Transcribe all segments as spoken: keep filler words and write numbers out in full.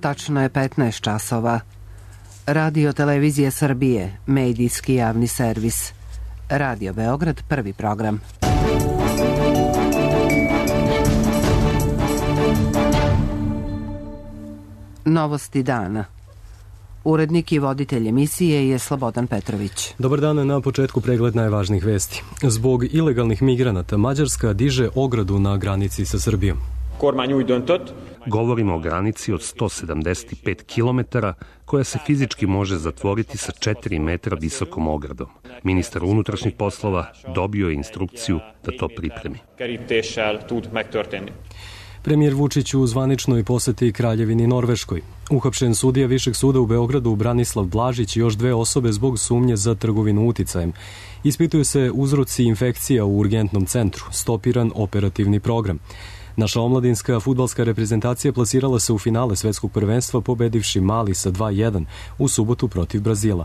Tačno je petnaest časova. Radio Televizija Srbije, medijski javni servis. Radio Beograd, prvi program. Novosti dana. Urednik i voditelj emisije je Slobodan Petrović. Dobar dan, na početku pregled najvažnijih vesti. Zbog ilegalnih migranata Mađarska diže ogradu na granici sa Srbijom. Govorimo o granici od sto sedamdeset pet kilometara koja se fizički može zatvoriti sa četiri metra visokom ogradom. Ministar unutrašnjih poslova dobio je instrukciju da to pripremi. Premijer Vučić u zvaničnoj poseti Kraljevini Norveškoj. Uhapšen sudija Višeg suda u Beogradu Branislav Blažić i još dve osobe zbog sumnje za trgovinu uticajem. Ispituju se uzroci infekcija u urgentnom centru, stopiran operativni program. Naša omladinska fudbalska reprezentacija plasirala se u finale svetskog prvenstva pobedivši Mali sa dva jedan u subotu protiv Brazila.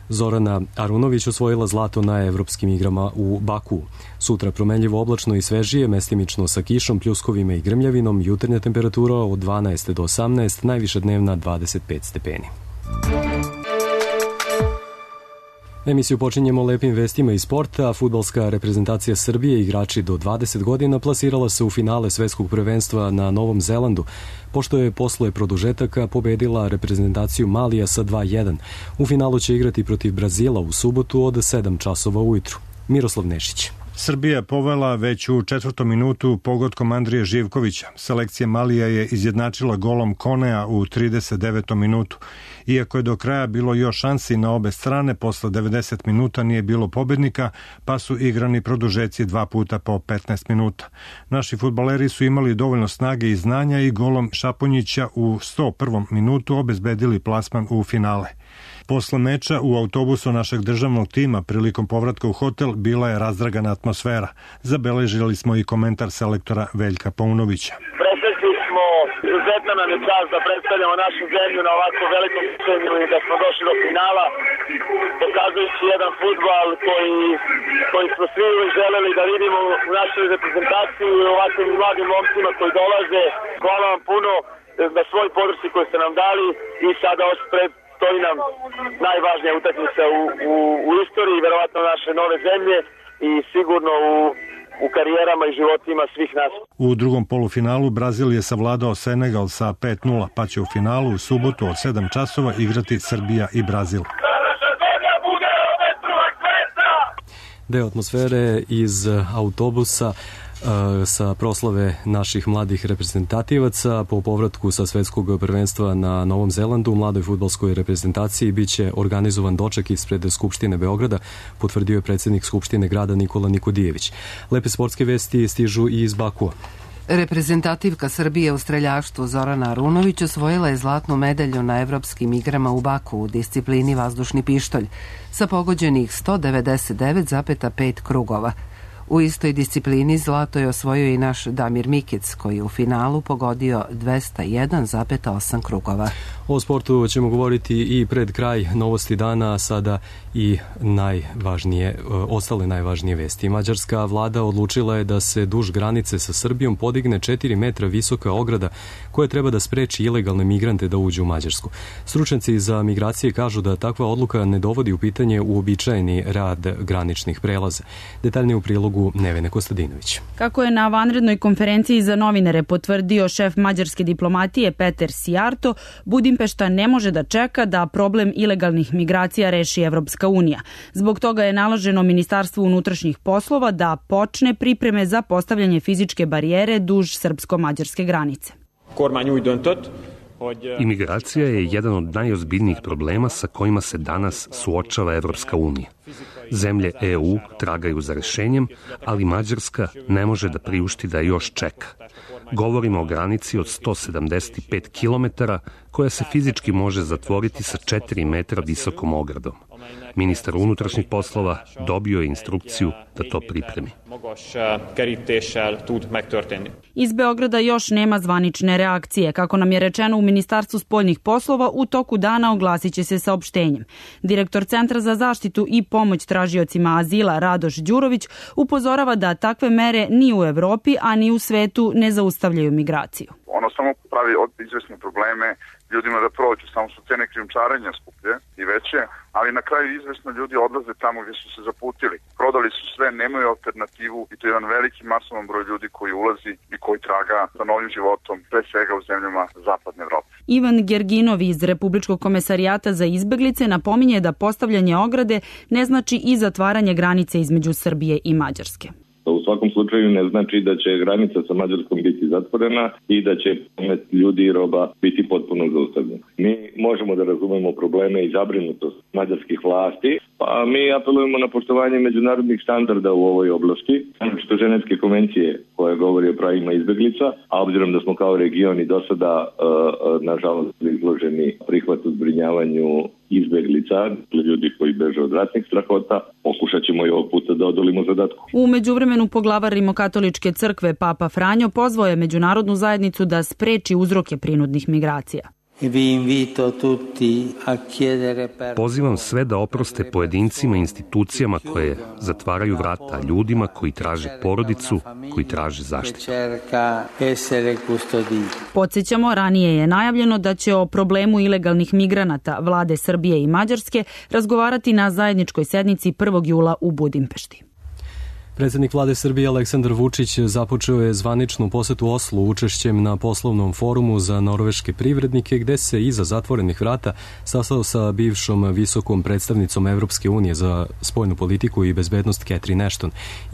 Zorana Arunović osvojila zlato na evropskim igrama u Bakuu. Sutra promenljivo oblačno i svežije, mestimično sa kišom, pljuskovima i grmljavinom, jutarnja temperatura od dvanaest do osamnaest, najviša dnevna dvadeset pet stepeni. Emisiju počinjemo lepim vestima iz sporta. Fudbalska reprezentacija Srbije, igrači do dvadeset godina, plasirala se u finale svetskog prvenstva na Novom Zelandu, pošto je posle produžetaka pobedila reprezentaciju Malija sa dva jedan. U finalu će igrati protiv Brazila u subotu od sedam časova ujutru. Miroslav Nešić. Srbija povela već u četvrtom minutu pogodkom Andrije Živkovića. Selekcija Malija je izjednačila golom Konea u trideset devetom minutu. Iako je do kraja bilo još šansi na obe strane, posle devedeset minuta nije bilo pobednika, pa su igrani produžeci dva puta po petnaest minuta. Naši fudbaleri su imali dovoljno snage i znanja i golom Šaponjića u sto prvom minutu obezbedili plasman u finale. Posle meča u autobusu našeg državnog tima prilikom povratka u hotel bila je razdragana atmosfera. Zabeležili smo i komentar selektora Veljka Paunovića. Presretli smo, izuzetna nam je čast da predstavljamo našu zemlju na ovako velikom scenu i da smo došli do finala, pokazujući jedan fudbal koji, koji smo svi želeli da vidimo u našoj reprezentaciji i ovakvim mladim momcima koji dolaze. Hvala vam puno na svoj podršci koju ste nam dali i sada još pred stoji nam najvažnija utakmica u, u, u istoriji, verovatno naše nove zemlje i sigurno u, u karijerama i životima svih nas. U drugom polufinalu Brazil je savladao Senegal sa pet nula, pa će u finalu u subotu od sedam časova igrati Srbija i Brazil. Deo atmosfere iz autobusa sa proslave naših mladih reprezentativaca po povratku sa svetskog prvenstva na Novom Zelandu u mladoj fudbalskoj reprezentaciji biće organizovan doček ispred Skupštine Beograda, potvrdio je predsjednik Skupštine grada Nikola Nikodijević. Lepe sportske vesti stižu i iz Bakua. Reprezentativka Srbije u streljaštvu Zorana Arunović osvojila je zlatnu medalju na evropskim igrama u Baku u disciplini vazdušni pištolj sa pogođenih sto devedeset devet zarez pet krugova. U istoj disciplini zlato je osvojio i naš Damir Mikec, koji je u finalu pogodio dvesta jedan zarez osam krugova. O sportu ćemo govoriti i pred kraj novosti dana, sada i najvažnije, ostale najvažnije vesti. Mađarska vlada odlučila je da se duž granice sa Srbijom podigne četiri metra visoka ograda koja treba da spreči ilegalne migrante da uđu u Mađarsku. Stručnjaci za migracije kažu da takva odluka ne dovodi u pitanje uobičajeni rad graničnih prelaza. Detaljnije u prilogu Nevene Kostadinović. Kako je na vanrednoj konferenciji za novinare potvrdio šef mađarske diplomatije Peter Sijarto, Budimpešta ne može da čeka da problem ilegalnih migracija reši Evropska unija. Zbog toga je naloženo Ministarstvu unutrašnjih poslova da počne pripreme za postavljanje fizičke barijere duž srpsko-mađarske granice. Imigracija je jedan od najozbiljnijih problema sa kojima se danas suočava Evropska unija. Zemlje E U tragaju za rešenjem, ali Mađarska ne može da priušti da još čeka. Govorimo o granici od sto sedamdeset pet kilometara koja se fizički može zatvoriti sa četiri metra visokom ogradom. Ministar unutrašnjih poslova dobio je instrukciju da to pripremi. Iz Beograda još nema zvanične reakcije. Kako nam je rečeno u Ministarstvu spoljnih poslova, u toku dana oglasit će se saopštenjem. Direktor Centra za zaštitu i pomoć tražiocima azila Radoš Đurović upozorava da takve mere ni u Evropi, a ni u svetu ne zaustavljaju migraciju. Ono samo pravi od izvesne probleme ljudima da prođu, samo su cene krijumčarenja skuplje i veće, ali na kraju izvesno ljudi odlaze tamo gdje su se zaputili. Prodali su sve, nemaju alternativu i to je jedan veliki masovan broj ljudi koji ulazi i koji traga za novim životom, pre svega u zemljama zapadne Evrope. Ivan Gerginov iz Republičkog komesarijata za izbeglice napominje da postavljanje ograde ne znači i zatvaranje granice između Srbije i Mađarske. U svakom slučaju ne znači da će granica sa Mađarskom biti zatvorena i da će promet ljudi i roba biti potpuno zaustavljen. Mi možemo da razumemo probleme i zabrinutost mađarskih vlasti, pa mi apelujemo na poštovanje međunarodnih standarda u ovoj oblasti, što Ženevske konvencije koje govori o pravima izbeglica, a obzirom da smo kao region i do sada, nažalost, izloženi prihvatu zbrinjavanju izbeglica, ljudi koji beže od ratnih strahota, pokušat ćemo i ovog puta da odolimo zadatku. U međuvremenu poglavar Rimokatoličke crkve Papa Franjo pozvao je međunarodnu zajednicu da spreči uzroke prinudnih migracija. Pozivam sve da oproste pojedincima i institucijama koje zatvaraju vrata ljudima koji traže porodicu, koji traže zaštitu. Podsjećamo, ranije je najavljeno da će o problemu ilegalnih migranata vlade Srbije i Mađarske razgovarati na zajedničkoj sednici prvog jula u Budimpešti. Predsjednik vlade Srbije Aleksandar Vučić započeo je zvaničnu posetu Oslu učešćem na poslovnom forumu za norveške privrednike, gde se iza zatvorenih vrata sastao sa bivšom visokom predstavnicom Evropske unije za spoljnu politiku i bezbednost Catherine Ashton.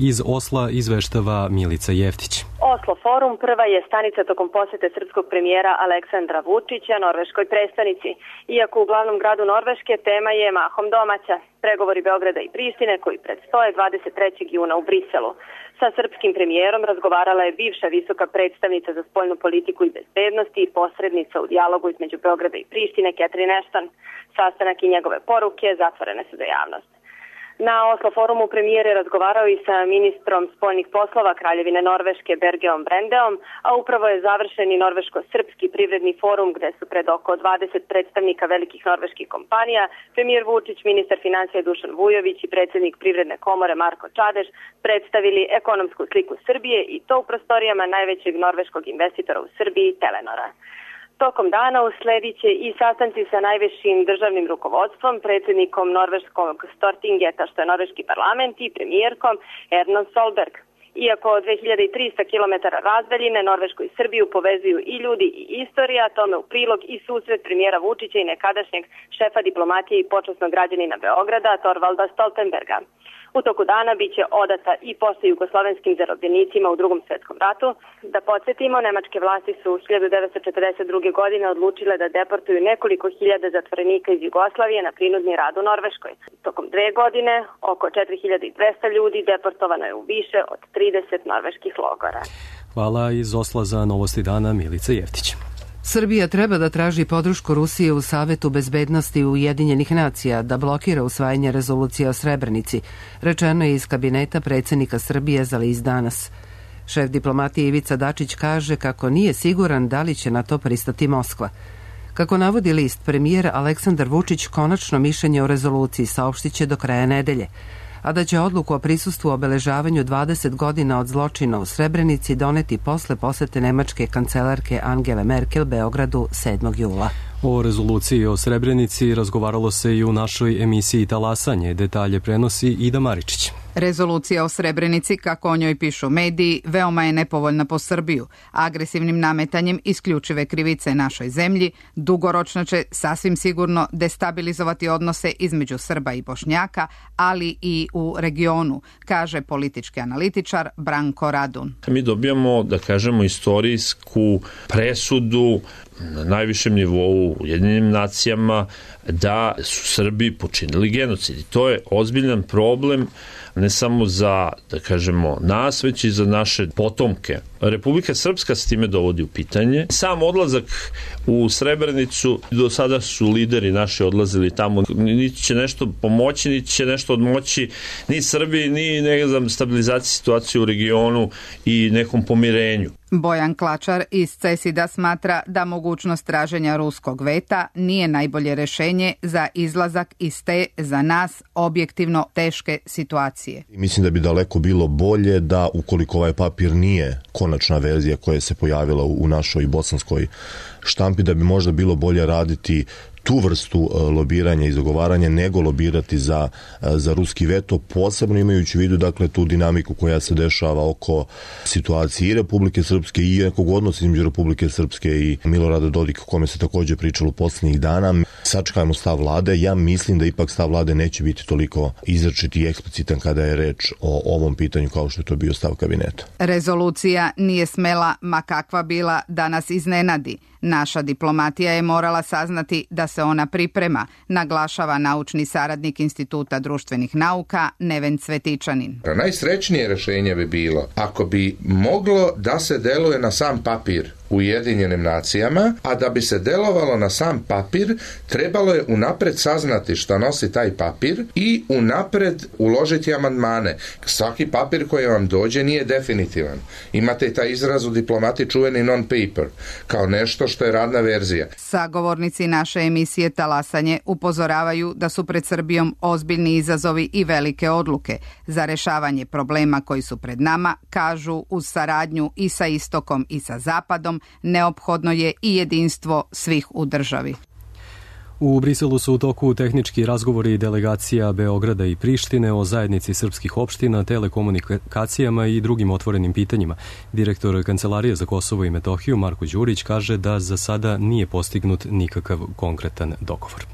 Iz Osla izveštava Milica Jeftić. Oslo forum prva je stanica tokom posete srpskog premijera Aleksandra Vučića norveškoj prestonici. Iako u glavnom gradu Norveške tema je mahom domaća. Pregovori Beograda i Prištine koji predstoje dvadeset trećeg juna u Briselu. Sa srpskim premijerom razgovarala je bivša visoka predstavnica za spoljnu politiku i bezbednosti i posrednica u dijalogu između Beograda i Prištine Catherine Ashton. Sastanak i njegove poruke zatvorene su za javnost. Na Oslo forumu premijer je razgovarao i sa ministrom spoljnih poslova Kraljevine Norveške Bergeom Brendeom, a upravo je završen i norveško-srpski privredni forum gde su pred oko dvadeset predstavnika velikih norveških kompanija premijer Vučić, ministar financija Dušan Vujović i predsjednik Privredne komore Marko Čadež predstavili ekonomsku sliku Srbije i to u prostorijama najvećeg norveškog investitora u Srbiji Telenora. Tokom dana usledit će i sastanci sa najvišim državnim rukovodstvom, predsjednikom norveškog Stortingeta, što je norveški parlament, i premijerkom Erna Solberg. Iako dve hiljade trista kilometara razdaljine Norvešku i Srbiju povezuju i ljudi i istorija, tome u prilog i susret premijera Vučića i nekadašnjeg šefa diplomatije i počasnog građanina Beograda Torvalda Stoltenberga. U toku dana biće odata i pošta jugoslovenskim zarobljenicima u Drugom svjetskom ratu. Da podsjetimo, nemačke vlasti su hiljadu devetsto četrdeset druge. godine odlučile da deportuju nekoliko hiljada zatvorenika iz Jugoslavije na prinudni rad u Norveškoj. Tokom dve godine oko četiri hiljade dvesta ljudi deportovano je u više od trideset norveških logora. Hvala iz Osla za Novosti dana Milica Jeftić. Srbija treba da traži podršku Rusije u Savetu bezbednosti Ujedinjenih nacija da blokira usvajanje rezolucije o Srebrenici, rečeno je iz kabineta predsjednika Srbije za list Danas. Šef diplomatije Ivica Dačić kaže kako nije siguran da li će na to pristati Moskva. Kako navodi list, premijer Aleksandar Vučić konačno mišljenje o rezoluciji saopštit će do kraja nedelje, a da će odluku o prisustvu obeležavanju dvadeset godina od zločina u Srebrenici doneti posle posete nemačke kancelarke Angele Merkel Beogradu sedmog jula. O rezoluciji o Srebrenici razgovaralo se i u našoj emisiji Talasanje. Detalje prenosi Ida Maričić. Rezolucija o Srebrenici, kako o njoj pišu mediji, veoma je nepovoljna po Srbiju. Agresivnim nametanjem isključive krivice našoj zemlji dugoročno će sasvim sigurno destabilizovati odnose između Srba i Bošnjaka, ali i u regionu, kaže politički analitičar Branko Radun. Mi dobijamo, da kažemo, istorijsku presudu na najvišem nivou u Ujedinjenim nacijama da su Srbi počinili genocid. I to je ozbiljan problem ne samo za, da kažemo, nas, već i za naše potomke. Republika Srpska s time dovodi u pitanje. Sam odlazak u Srebrenicu, do sada su lideri naši odlazili tamo, niti će nešto pomoći, niti će nešto odmoći ni Srbiji, ni ne znam, stabilizaciji situacije u regionu i nekom pomirenju. Bojan Klačar iz CESID-a smatra da mogućnost traženja ruskog veta nije najbolje rešenje za izlazak iz te, za nas, objektivno teške situacije. Mislim da bi daleko bilo bolje da, ukoliko ovaj papir nije konačno konačna verzija koja se pojavila u našoj bosanskoj štampi, da bi možda bilo bolje raditi tu vrstu lobiranja i zagovaranja nego lobirati za, za ruski veto, posebno imajući u vidu dakle tu dinamiku koja se dešava oko situacije i Republike Srpske i nekog odnosa između Republike Srpske i Milorada Dodika, o kome se takođe pričalo poslednjih dana. Sačekajmo stav vlade. Ja mislim da ipak stav vlade neće biti toliko izrečit i eksplicitan kada je reč o ovom pitanju kao što je to bio stav kabineta. Rezolucija nije smela, ma kakva bila, da nas iznenadi. Naša diplomatija je morala saznati da se ona priprema, naglašava naučni saradnik Instituta društvenih nauka Neven Cvetičanin. Najsrećnije rešenje bi bilo ako bi moglo da se deluje na sam papir u Ujedinjenim nacijama, a da bi se delovalo na sam papir, trebalo je unapred saznati šta nosi taj papir i unapred uložiti amandmane. Svaki papir koji vam dođe nije definitivan. Imate i taj izraz u diplomati čuveni non-paper, kao nešto što je radna verzija. Sagovornici naše emisije Talasanje upozoravaju da su pred Srbijom ozbiljni izazovi i velike odluke. Za rešavanje problema koji su pred nama, kažu, uz saradnju i sa istokom i sa zapadom, neophodno je i jedinstvo svih u državi. U Briselu su u toku tehnički razgovori delegacija Beograda i Prištine o zajednici srpskih opština, telekomunikacijama i drugim otvorenim pitanjima. Direktor Kancelarije za Kosovo i Metohiju Marko Đurić kaže da za sada nije postignut nikakav konkretan dogovor.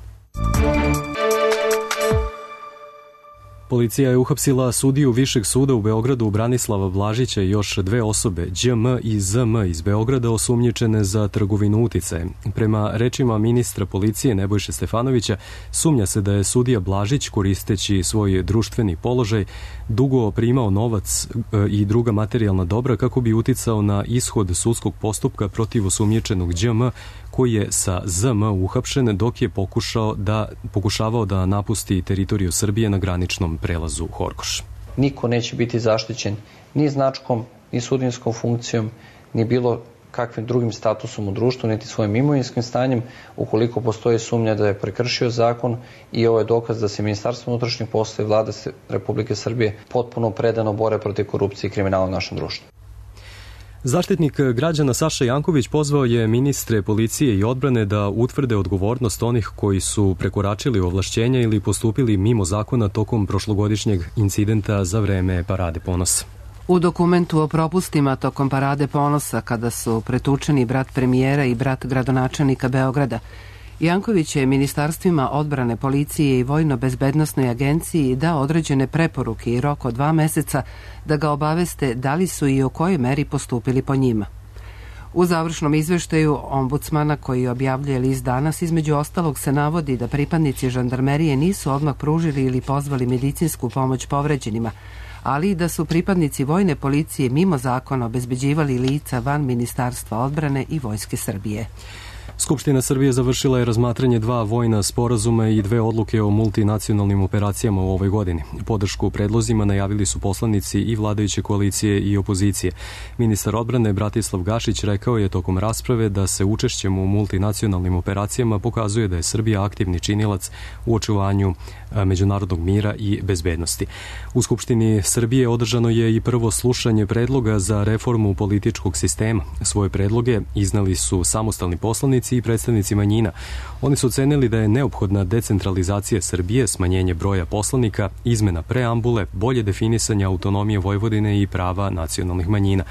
Policija je uhapsila sudiju Višeg suda u Beogradu Branislava Blažića i još dve osobe, Đ M i Z M iz Beograda, osumnjičene za trgovinu uticajem. Prema rečima ministra policije Nebojše Stefanovića, sumnja se da je sudija Blažić, koristeći svoj društveni položaj, dugo primao novac i druga materijalna dobra kako bi uticao na ishod sudskog postupka protiv osumnjičenog Đ M, koji je sa Z M uhapšen dok je pokušao da, pokušavao da napusti teritoriju Srbije na graničnom prelazu Horgoš. Niko neće biti zaštićen ni značkom, ni sudinskom funkcijom, ni bilo kakvim drugim statusom u društvu, niti svojim imovinskim stanjem, ukoliko postoji sumnja da je prekršio zakon, i ovo je dokaz da se Ministarstvo unutrašnjih poslova i Vlada Republike Srbije potpuno predano bore protiv korupcije i kriminala u našem društvu. Zaštitnik građana Saša Janković pozvao je ministre policije i odbrane da utvrde odgovornost onih koji su prekoračili ovlašćenja ili postupili mimo zakona tokom prošlogodišnjeg incidenta za vreme Parade ponosa. U dokumentu o propustima tokom Parade ponosa, kada su pretučeni brat premijera i brat gradonačelnika Beograda, Janković je ministarstvima odbrane, policije i vojno-bezbednosnoj agenciji dao određene preporuke i rok od dva meseca da ga obaveste da li su i o kojoj meri postupili po njima. U završnom izveštaju ombudsmana koji objavljuje list Danas, između ostalog se navodi da pripadnici žandarmerije nisu odmah pružili ili pozvali medicinsku pomoć povređenima, ali i da su pripadnici vojne policije mimo zakona obezbeđivali lica van Ministarstva odbrane i Vojske Srbije. Skupština Srbije završila je razmatranje dva vojna sporazuma i dve odluke o multinacionalnim operacijama u ovoj godini. Podršku predlozima najavili su poslanici i vladajuće koalicije i opozicije. Ministar odbrane Bratislav Gašić rekao je tokom rasprave da se učešćem u multinacionalnim operacijama pokazuje da je Srbija aktivni činilac u očuvanju međunarodnog mira i bezbednosti. U Skupštini Srbije održano je i prvo slušanje predloga za reformu političkog sistema. Svoje predloge iznali su samostalni poslanici i predstavnici manjina. Oni su ocenili da je neophodna decentralizacija Srbije, smanjenje broja poslanika, izmena preambule, bolje definisanje autonomije Vojvodine i prava nacionalnih manjina.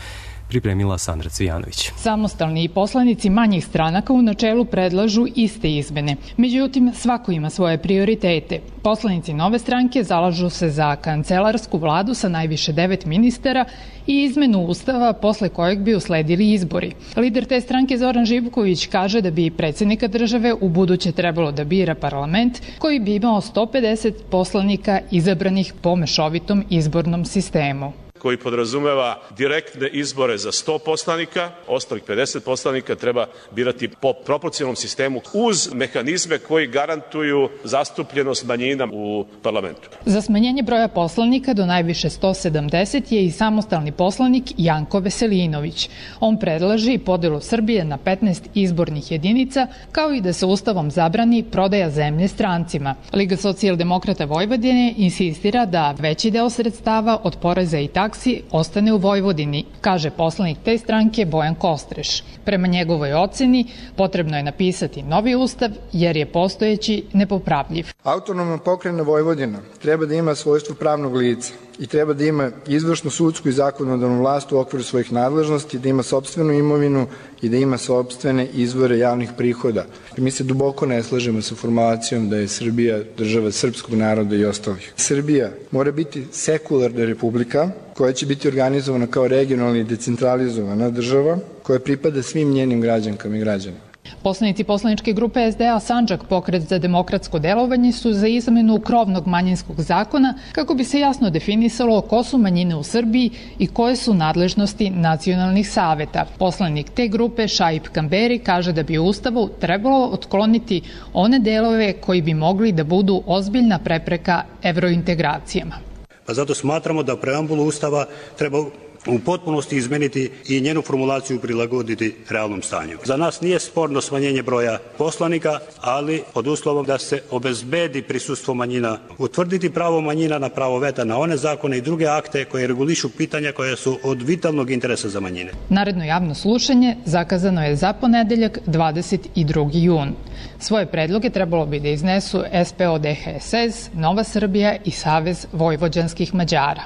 Pripremila Sandra Cvijanović. Samostalni poslanici manjih stranaka u načelu predlažu iste izmene. Međutim, svako ima svoje prioritete. Poslanici Nove stranke zalažu se za kancelarsku vladu sa najviše devet ministara i izmenu ustava posle kojeg bi usledili izbori. Lider te stranke Zoran Živković kaže da bi predsjednika države u buduće trebalo da bira parlament koji bi imao sto pedeset poslanika izabranih po mešovitom izbornom sistemu, koji podrazumeva direktne izbore za sto poslanika, ostalih pedeset poslanika treba birati po proporcionalnom sistemu uz mehanizme koji garantuju zastupljenost manjina u parlamentu. Za smanjenje broja poslanika do najviše sto sedamdeset je i samostalni poslanik Janko Veselinović. On predlaže i podelu Srbije na petnaest izbornih jedinica, kao i da se ustavom zabrani prodaja zemlje strancima. Liga socijaldemokrata Vojvodine insistira da veći deo sredstava od poreza i takse praksi ostane u Vojvodini, kaže poslanik te stranke Bojan Kostreš. Prema njegovoj oceni potrebno je napisati novi ustav jer je postojeći nepopravljiv. Autonomna pokrajina Vojvodina treba da ima svojstvo pravnog lica i treba da ima izvršnu, sudsku i zakonodavnu vlast u okviru svojih nadležnosti, da ima sopstvenu imovinu i da ima sopstvene izvore javnih prihoda. Mi se duboko ne slažemo sa formulacijom da je Srbija država srpskog naroda i ostalih. Srbija mora biti sekularna republika koja će biti organizovana kao regionalna i decentralizovana država koja pripada svim njenim građankama i građanima. Poslanici poslaničke grupe S D A Sandžak, Pokret za demokratsko delovanje, su za izmenu krovnog manjinskog zakona kako bi se jasno definisalo ko su manjine u Srbiji i koje su nadležnosti nacionalnih saveta. Poslanik te grupe Šaip Kamberi kaže da bi u Ustavu trebalo otkloniti one delove koji bi mogli da budu ozbiljna prepreka evrointegracijama. Pa zato smatramo da preambulu Ustava treba u potpunosti izmeniti i njenu formulaciju prilagoditi realnom stanju. Za nas nije sporno smanjenje broja poslanika, ali pod uslovom da se obezbedi prisustvo manjina, utvrditi pravo manjina na pravo veta na one zakone i druge akte koje regulišu pitanja koja su od vitalnog interesa za manjine. Naredno javno slušanje zakazano je za ponedeljak dvadeset drugi jun. Svoje predloge trebalo bi da iznesu S P O D H S S, Nova Srbija i Savez vojvođanskih Mađara.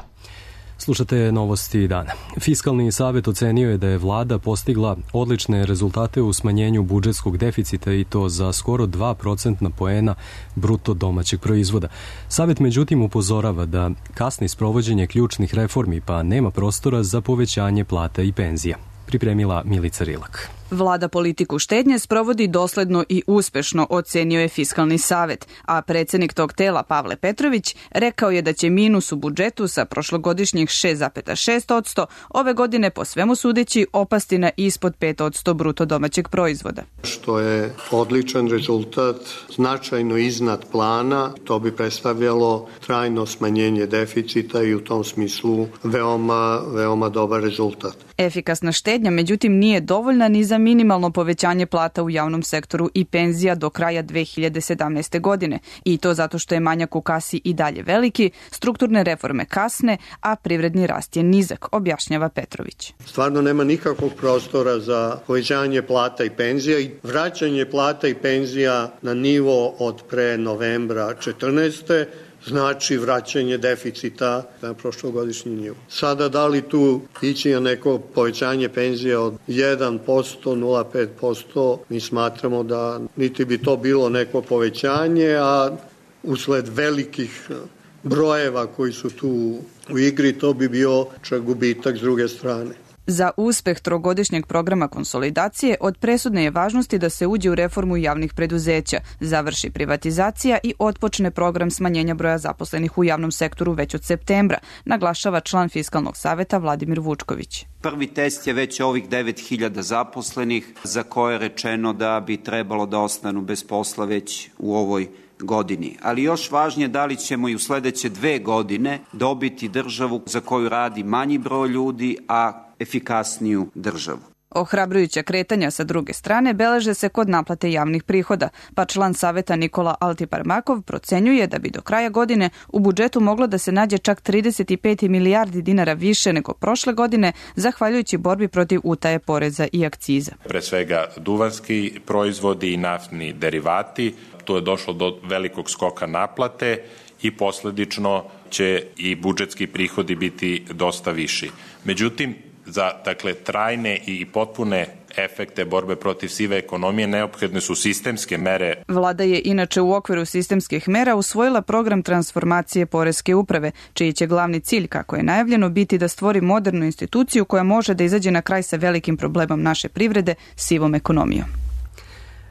Slušate novosti dana. Fiskalni savet ocenio je da je vlada postigla odlične rezultate u smanjenju budžetskog deficita i to za skoro dva procentna poena bruto domaćeg proizvoda. Savet međutim upozorava da kasni sprovođenje ključnih reformi pa nema prostora za povećanje plata i penzija. Pripremila Milica Rilak. Vlada politiku štednje sprovodi dosledno i uspešno, ocenio je Fiskalni savet, a predsednik tog tela Pavle Petrović rekao je da će minus u budžetu sa prošlogodišnjih šest zarez šest posto ove godine po svemu sudeći opasti na ispod pet posto bruto domaćeg proizvoda. Što je odličan rezultat, značajno iznad plana, to bi predstavljalo trajno smanjenje deficita i u tom smislu veoma, veoma dobar rezultat. Efikasna štednja međutim nije dovoljna ni za minimalno povećanje plata u javnom sektoru i penzija do kraja dve hiljade sedamnaeste. godine. I to zato što je manjak u kasi i dalje veliki, strukturne reforme kasne, a privredni rast je nizak, objašnjava Petrović. Stvarno nema nikakvog prostora za povećanje plata i penzija i vraćanje plata i penzija na nivo od pre novembra četrnaeste. znači vraćanje deficita na prošlogodišnji nivo. Sada da li tu ići na neko povećanje penzija od jedan posto, nula zarez pet posto, mi smatramo da niti bi to bilo neko povećanje, a usled velikih brojeva koji su tu u igri, to bi bio čak gubitak s druge strane. Za uspeh trogodišnjeg programa konsolidacije od presudne je važnosti da se uđe u reformu javnih preduzeća, završi privatizacija i otpočne program smanjenja broja zaposlenih u javnom sektoru već od septembra, naglašava član Fiskalnog saveta Vladimir Vučković. Prvi test je već ovih devet hiljada zaposlenih za koje je rečeno da bi trebalo da ostanu bez posla već u ovoj godini. Ali još važnije da li ćemo i u sledeće dve godine dobiti državu za koju radi manji broj ljudi, a efikasniju državu. Ohrabrujuća kretanja sa druge strane beleže se kod naplate javnih prihoda, pa član saveta Nikola Altiparmakov procenjuje da bi do kraja godine u budžetu moglo da se nađe čak trideset pet milijardi dinara više nego prošle godine, zahvaljujući borbi protiv utaje poreza i akciza. Pre svega duvanski proizvodi i naftni derivati, tu je došlo do velikog skoka naplate i posledično će i budžetski prihodi biti dosta viši. Međutim, za dakle trajne i potpune efekte borbe protiv sive ekonomije neophodne su sistemske mere. Vlada je inače u okviru sistemskih mera usvojila program transformacije poreske uprave, čiji će glavni cilj, kako je najavljeno, biti da stvori modernu instituciju koja može da izađe na kraj sa velikim problemom naše privrede, sivom ekonomijom.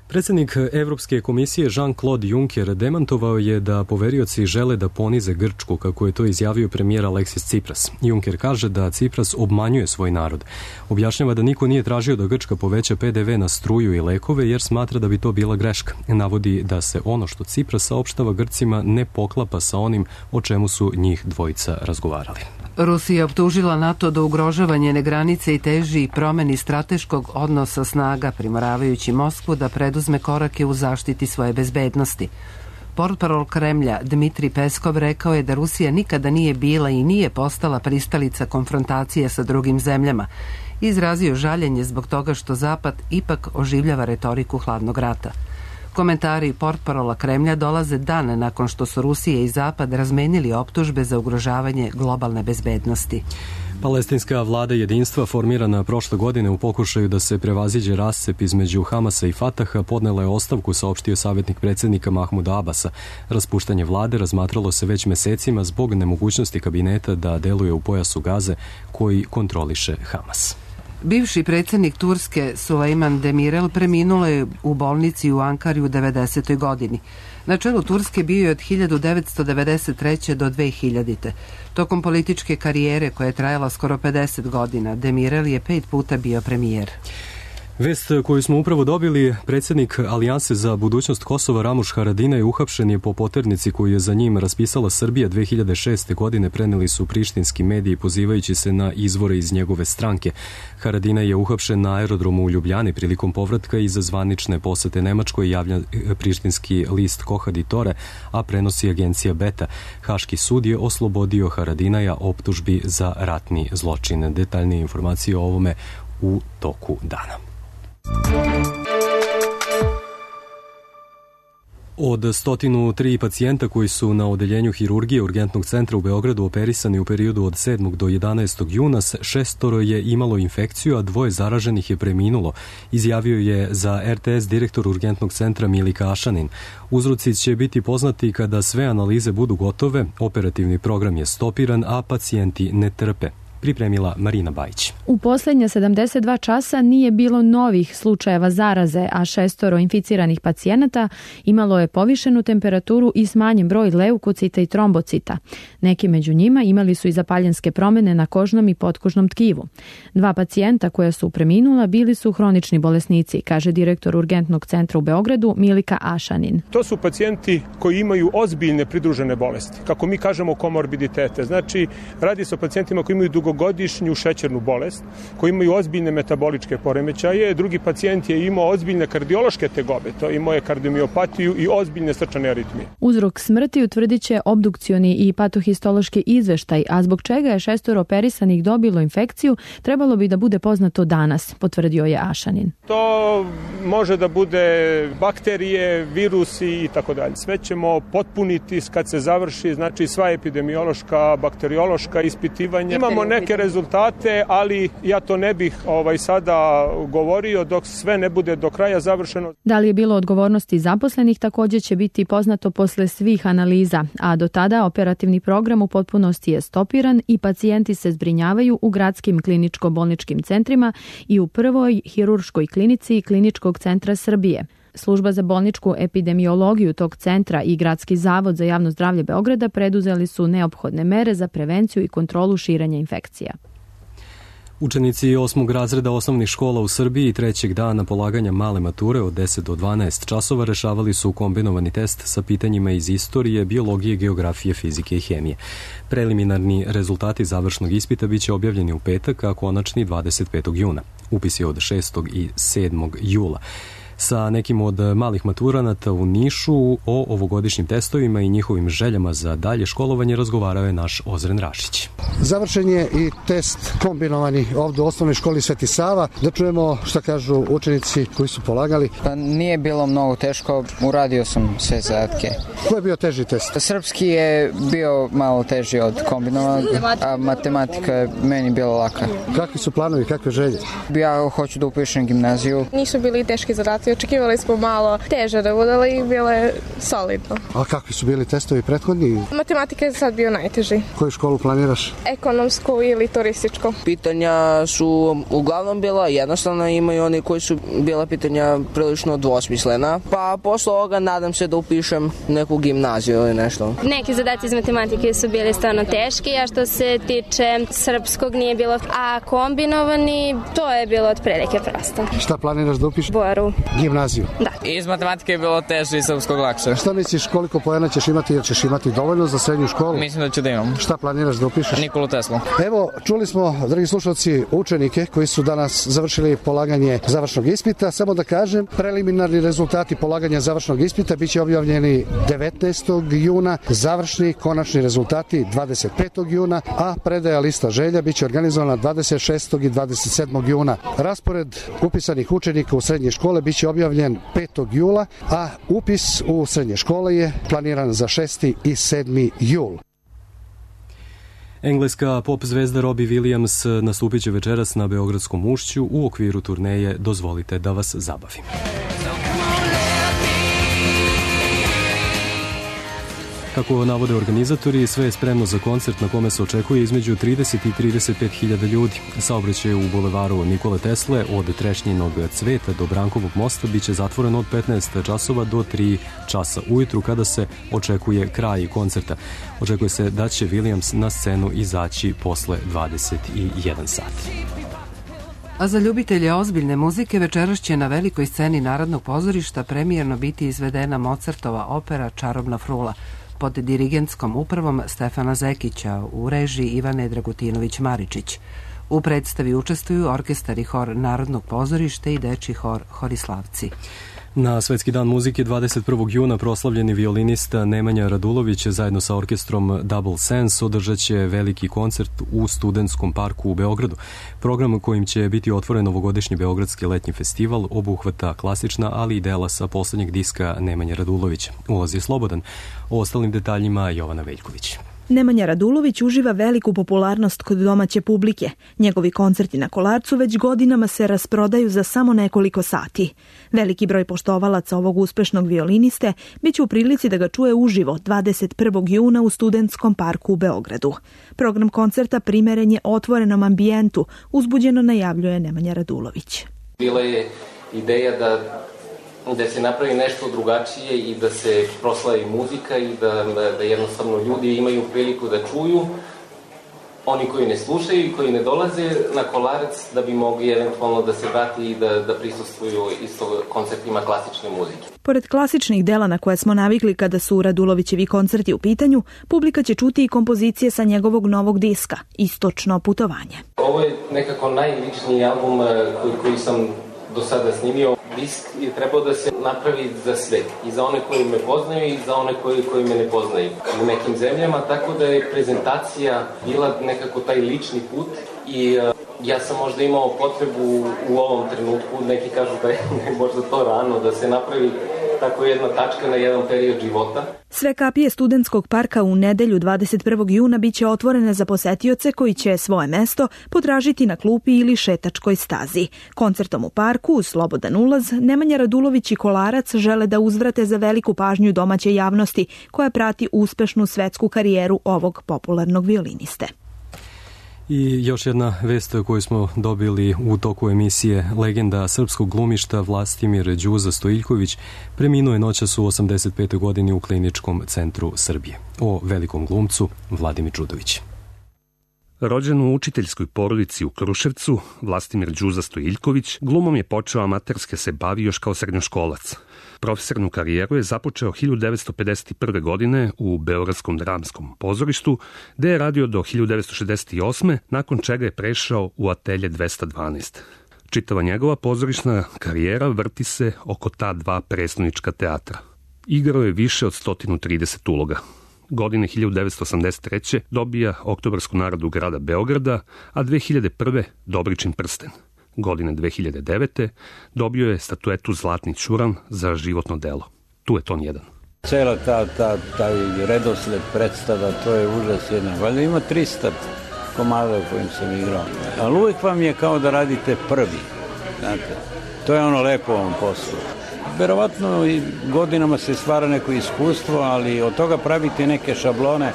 Predsjednik Evropske komisije Jean-Claude Juncker demantovao je da poverioci žele da ponize Grčku, kako je to izjavio premijer Aleksis Tsipras. Juncker kaže da Tsipras obmanjuje svoj narod. Objašnjava da niko nije tražio da Grčka poveća P D V na struju i lekove jer smatra da bi to bila greška. Navodi da se ono što Tsipras saopštava Grcima ne poklapa sa onim o čemu su njih dvojica razgovarali. Rusija optužila NATO da ugrožava njene granice i teži promeni strateškog odnosa snaga, primoravajući Moskvu da preduzme korake u zaštiti svoje bezbednosti. Portparol Kremlja Dmitri Peskov rekao je da Rusija nikada nije bila i nije postala pristalica konfrontacije sa drugim zemljama. Izrazio žaljenje zbog toga što Zapad ipak oživljava retoriku hladnog rata. Komentari portparola Kremlja dolaze dan nakon što su Rusija i Zapad razmenili optužbe za ugrožavanje globalne bezbednosti. Palestinska vlada jedinstva formirana prošle godine u pokušaju da se prevaziđe rascep između Hamasa i Fataha podnela je ostavku, saopštio savjetnik predsjednika Mahmuda Abasa. Raspuštanje vlade razmatralo se već mesecima zbog nemogućnosti kabineta da deluje u pojasu Gaze koji kontroliše Hamas. Bivši predsjednik Turske Sulejman Demirel preminulo je u bolnici u Ankari u devedesetoj godini. Na čelu Turske bio je od hiljadu devetsto devedeset treće do dve hiljadite. Tokom političke karijere koja je trajala skoro pedeset godina, Demirel je pet puta bio premijer. Vest koju smo upravo dobili, predsjednik Alijanse za budućnost Kosova Ramuš Haradinaj uhapšen je po poternici koju je za njim raspisala Srbija dve hiljade šeste. godine, preneli su prištinski mediji pozivajući se na izvore iz njegove stranke. Haradinaj je uhapšen na aerodromu u Ljubljani prilikom povratka iza zvanične posete Nemačkoj, javlja prištinski list Kohadi Tore, a prenosi agencija Beta. Haški sud je oslobodio Haradinaja optužbi za ratni zločin. Detaljnije informacije o ovome u toku dana. Od stotinu tri pacijenta koji su na odeljenju hirurgije Urgentnog centra u Beogradu operisani u periodu od sedmog do jedanaestog juna, šestoro je imalo infekciju, a dvoje zaraženih je preminulo, izjavio je za er te es direktor Urgentnog centra Milika Ašanin. Uzroci će biti poznati kada sve analize budu gotove, operativni program je stopiran, a pacijenti ne trpe. Pripremila Marina Bajić. U posljednje sedamdeset dva časa nije bilo novih slučajeva zaraze, a šestoro inficiranih pacijenata imalo je povišenu temperaturu i smanjen broj leukocita i trombocita. Neki među njima imali su i zapaljenske promjene na kožnom i potkožnom tkivu. Dva pacijenta koja su preminula bili su hronični bolesnici, kaže direktor Urgentnog centra u Beogradu Milika Ašanin. To su pacijenti koji imaju ozbiljne pridružene bolesti, kako mi kažemo komorbiditete. Znači, radi se o pacijentima koji imaju dugo godišnju šećernu bolest, koji imaju ozbiljne metaboličke poremećaje. Drugi pacijent je imao ozbiljne kardiološke tegobe, to imao je kardiomiopatiju i ozbiljne srčane aritmije. Uzrok smrti utvrdit će obdukcioni i patohistološki izveštaj, a zbog čega je šestoro operisanih dobilo infekciju, trebalo bi da bude poznato danas, potvrdio je Ašanin. To može da bude bakterije, virusi i tako dalje. Sve ćemo potpuniti kad se završi, znači sva epidemiološka, bakteriološka ispitivanja. Imamo neke rezultate, ali ja to ne bih ovaj sada govorio dok sve ne bude do kraja završeno. Da li je bilo odgovornosti zaposlenih također će biti poznato posle svih analiza, a do tada operativni program u potpunosti je stopiran i pacijenti se zbrinjavaju u gradskim kliničko-bolničkim centrima i u prvoj hirurškoj klinici Kliničkog centra Srbije. Služba za bolničku epidemiologiju tog centra i Gradski zavod za javno zdravlje Beograda preduzeli su neophodne mere za prevenciju i kontrolu širenja infekcija. Učenici osmog razreda osnovnih škola u Srbiji trećeg dana polaganja male mature od deset do dvanaest časova rešavali su kombinovani test sa pitanjima iz istorije, biologije, geografije, fizike i hemije. Preliminarni rezultati završnog ispita biće objavljeni u petak, a konačni dvadeset petog juna. Upis je od šestog i sedmog jula. Sa nekim od malih maturanata u Nišu o ovogodišnjim testovima i njihovim željama za dalje školovanje razgovarao je naš Ozren Rašić. Završen je i test kombinovani ovdje u osnovnoj školi Sveti Sava. Da čujemo šta kažu učenici koji su polagali. Pa nije bilo mnogo teško, uradio sam sve zadatke. Ko je bio teži test? Srpski je bio malo teži od kombinovanog, a matematika je meni bila laka. Kakvi su planovi, kakve želje? Ja hoću da upišem gimnaziju. Nisu bili teški zadaci, očekivali smo malo teže da bude, ali bilo je solidno. A kakvi su bili testovi prethodni? Matematika je sad bio najteži. Koju školu planiraš? Ekonomsku ili turističku. Pitanja su uglavnom bila jednostavna, imaju oni koji su bila pitanja prilično dvosmislena, pa posle ovoga nadam se da upišem neku gimnaziju ili nešto. Neki zadaci iz matematike su bili stvarno teški, a što se tiče srpskog nije bilo, a kombinovani, to je bilo otprilike prosto. Šta planiraš da upišeš? Boru. gimnaziju? Da. Iz matematike je bilo teže i srpskog lakše. Šta misliš, koliko poena ćeš imati, jer ćeš imati dovoljno za srednju školu? Mislim da ću da imam. Šta planiraš da upišeš? Nikolu Teslu. Evo, čuli smo, dragi slušalci, učenike koji su danas završili polaganje završnog ispita. Samo da kažem, preliminarni rezultati polaganja završnog ispita biće objavljeni devetnaestog juna, završni konačni rezultati dvadeset petog juna, a predaja lista želja biće organizovana dvadeset šestog i dvadeset sedmog juna. Raspored upisanih učenika u srednje škole biće objavljen petog jula, a upis u srednje škole je planiran za šesti i sedmi jul. Engleska pop zvezda Robbie Williams nastupit će večeras na Beogradskom ušću u okviru turneje Dozvolite da vas zabavim. Kako navode organizatori, sve je spremno za koncert na kome se očekuje između trideset i trideset pet hiljada ljudi. Saobraćaj u bulevaru Nikole Tesle od Trešnjinog cveta do Brankovog mosta biće zatvoren od petnaest časova do tri časa ujutru, kada se očekuje kraj koncerta. Očekuje se da će Williams na scenu izaći posle dvadeset jedan sat. A za ljubitelje ozbiljne muzike večeras će na velikoj sceni Narodnog pozorišta premijerno biti izvedena Mozartova opera Čarobna frula pod dirigentskom upravom Stefana Zekića u režiji Ivane Dragutinović-Maričić. U predstavi učestvuju orkestar i hor Narodnog pozorišta i dečji hor Horislavci. Na Svetski dan muzike dvadeset prvog juna proslavljeni violinista Nemanja Radulović zajedno sa orkestrom Double Sense održat će veliki koncert u Studentskom parku u Beogradu. Program kojim će biti otvoren ovogodišnji Beogradski letnji festival obuhvata klasična, ali i dela sa poslednjeg diska Nemanja Radulovića. Ulaz je slobodan. O ostalim detaljima Jovana Veljković. Nemanja Radulović uživa veliku popularnost kod domaće publike. Njegovi koncerti na Kolarcu već godinama se rasprodaju za samo nekoliko sati. Veliki broj poštovalaca ovog uspešnog violiniste biće u prilici da ga čuje uživo dvadeset prvog juna u Studentskom parku u Beogradu. Program koncerta primeren je otvorenom ambijentu, uzbuđeno najavljuje Nemanja Radulović. Bila je ideja da da se napravi nešto drugačije i da se proslavi muzika i da, da jednostavno ljudi imaju priliku da čuju, oni koji ne slušaju i koji ne dolaze na Kolarac, da bi mogli eventualno da se vrati i da, da prisustvuju isto koncertima klasične muzike. Pored klasičnih dela na koje smo navikli kada su Radulovićevi koncerti u pitanju, publika će čuti i kompozicije sa njegovog novog diska, Istočno putovanje. Ovo je nekako najličniji album koji, koji sam do sada snimio. Disk je trebao da se napravi za sve, i za one koji me poznaju i za one koji, koji me ne poznaju u nekim zemljama, tako da je prezentacija bila nekako taj lični put i uh, ja sam možda imao potrebu u ovom trenutku, neki kažu da je možda to rano, da se napravi tako jedna tačka na jedan period života. Sve kapije Studentskog parka u nedelju dvadeset prvog juna biće otvorene za posetioce koji će svoje mesto potražiti na klupi ili šetačkoj stazi. Koncertom u parku uz slobodan ulaz Nemanja Radulović i Kolarac žele da uzvrate za veliku pažnju domaće javnosti koja prati uspešnu svetsku karijeru ovog popularnog violiniste. I još jedna vest koju smo dobili u toku emisije. Legenda srpskog glumišta Vlastimir Đuza Stojiljković preminuo je noćas u osamdeset petoj godini u Kliničkom centru Srbije. O velikom glumcu Vladimir Đudović. Rođen u učiteljskoj porodici u Kruševcu, Vlastimir Đuza Stojiljković glumom je počeo amaterske se bavi još kao srednjoškolac. Profesornu karijeru je započeo hiljadu devetsto pedeset prve. godine u Beogradskom dramskom pozorištu, gde je radio do hiljadu devetsto šezdeset osme. nakon čega je prešao u Atelje dvesta dvanaest. Čitava njegova pozorišna karijera vrti se oko ta dva prestonička teatra. Igrao je više od sto trideset uloga. Godine hiljadu devetsto osamdeset treće. dobija Oktobarsku nagradu grada Beograda, a dve hiljade prve. Dobričin prsten. Godine dve hiljade devete. dobio je statuetu Zlatni ćuran za životno delo. Tu je ton jedan. Cela ta, ta, taj redosled predstava, to je užas jedan. Valjda ima trista komada u kojim sam igrao. Ali uvijek vam je kao da radite prvi. Znate, to je ono lepo u ovom poslu. Verovatno i godinama se stvara neko iskustvo, ali od toga praviti neke šablone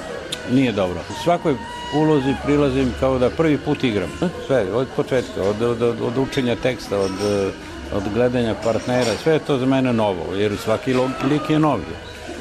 nije dobro. U svakoj ulozi prilazim kao da prvi put igram. Sve, od početka, od, od, od učenja teksta, od, od gledanja partnera, sve je to za mene novo, jer svaki lik je novi.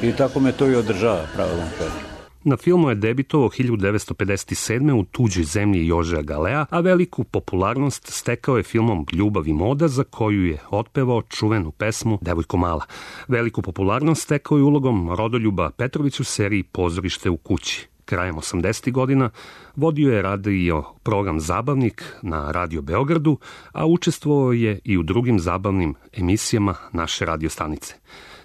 I tako me to i održava, pravo da vam kažem. Na filmu je debitovao hiljadu devetsto pedeset sedme u Tuđoj zemlji Jožea Galea, a veliku popularnost stekao je filmom Ljubav i moda, za koju je otpevao čuvenu pesmu Devojko mala. Veliku popularnost stekao je ulogom Rodoljuba Petrovića u seriji Pozorište u kući. Krajem osamdesetih godina vodio je radio program Zabavnik na Radio Beogradu, a učestvovao je i u drugim zabavnim emisijama naše radio stanice.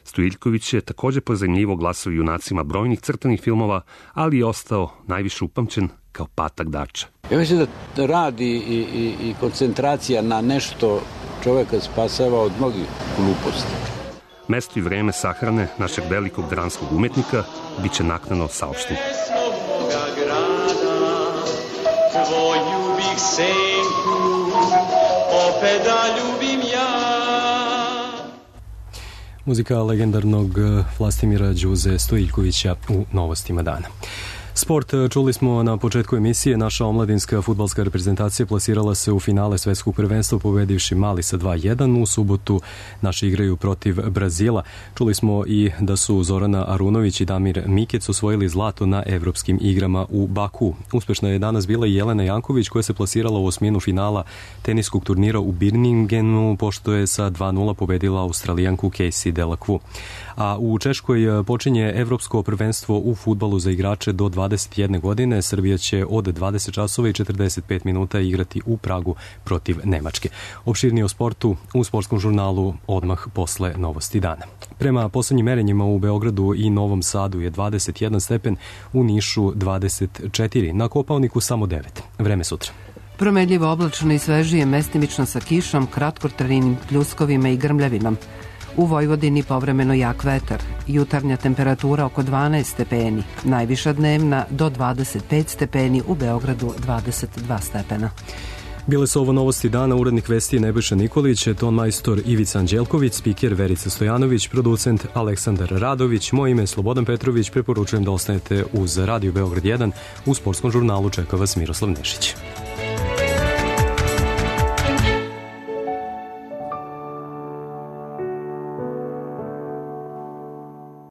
Stojiljković je također pozajmljivo glasao junacima brojnih crtanih filmova, ali je ostao najviše upamćen kao Patak Dača. Ja mislim da radi i, i, i koncentracija na nešto čoveka spasava od mnogih gluposti. Mesto i vreme sahrane našeg velikog dramskog umetnika bit će naknadno saopšteno. Tvoju bih senku opet da ljubim ja. Muzika legendarnog Vlastimira Đuze Stojiljkovića u Novostima dana. Sport, čuli smo na početku emisije, naša omladinska fudbalska reprezentacija plasirala se u finale svetskog prvenstva pobedivši Mali sa dva jedan. U subotu naši igraju protiv Brazila. Čuli smo i da su Zorana Arunović i Damir Mikec osvojili zlato na evropskim igrama u Baku. Uspešna je danas bila i Jelena Janković koja se plasirala u osminu finala teniskog turnira u Birminghamu pošto je sa dva nula pobedila Australijanku Casey Delacroix. A u Češkoj počinje evropsko prvenstvo u fudbalu za igrače do dvadeset jedne godine. Srbija će od dvadeset časova i četrdeset pet minuta igrati u Pragu protiv Nemačke. Opširnije o sportu u sportskom žurnalu odmah posle Novosti dana. Prema poslednjim merenjima u Beogradu i Novom Sadu je dvadeset jedan stepen, u Nišu dvadeset četiri, na Kopaoniku samo devet. Vreme sutra. Promenljivo oblačno i svežije, mestimično sa kišom, kratkotrajnim pljuskovima i grmljavinom. U Vojvodini povremeno jak vetar, jutarnja temperatura oko dvanaest stepeni, najviša dnevna do dvadeset pet stepeni, u Beogradu dvadeset dva stepena. Bile su ovo Novosti dana, urednik vesti Nebojša Nikolić, ton majstor Ivica Anđelković, spiker Verica Stojanović, producent Aleksandar Radović, moje ime je Slobodan Petrović, preporučujem da ostanete uz Radio Beograd jedan, u sportskom žurnalu čeka vas Miroslav Nešić.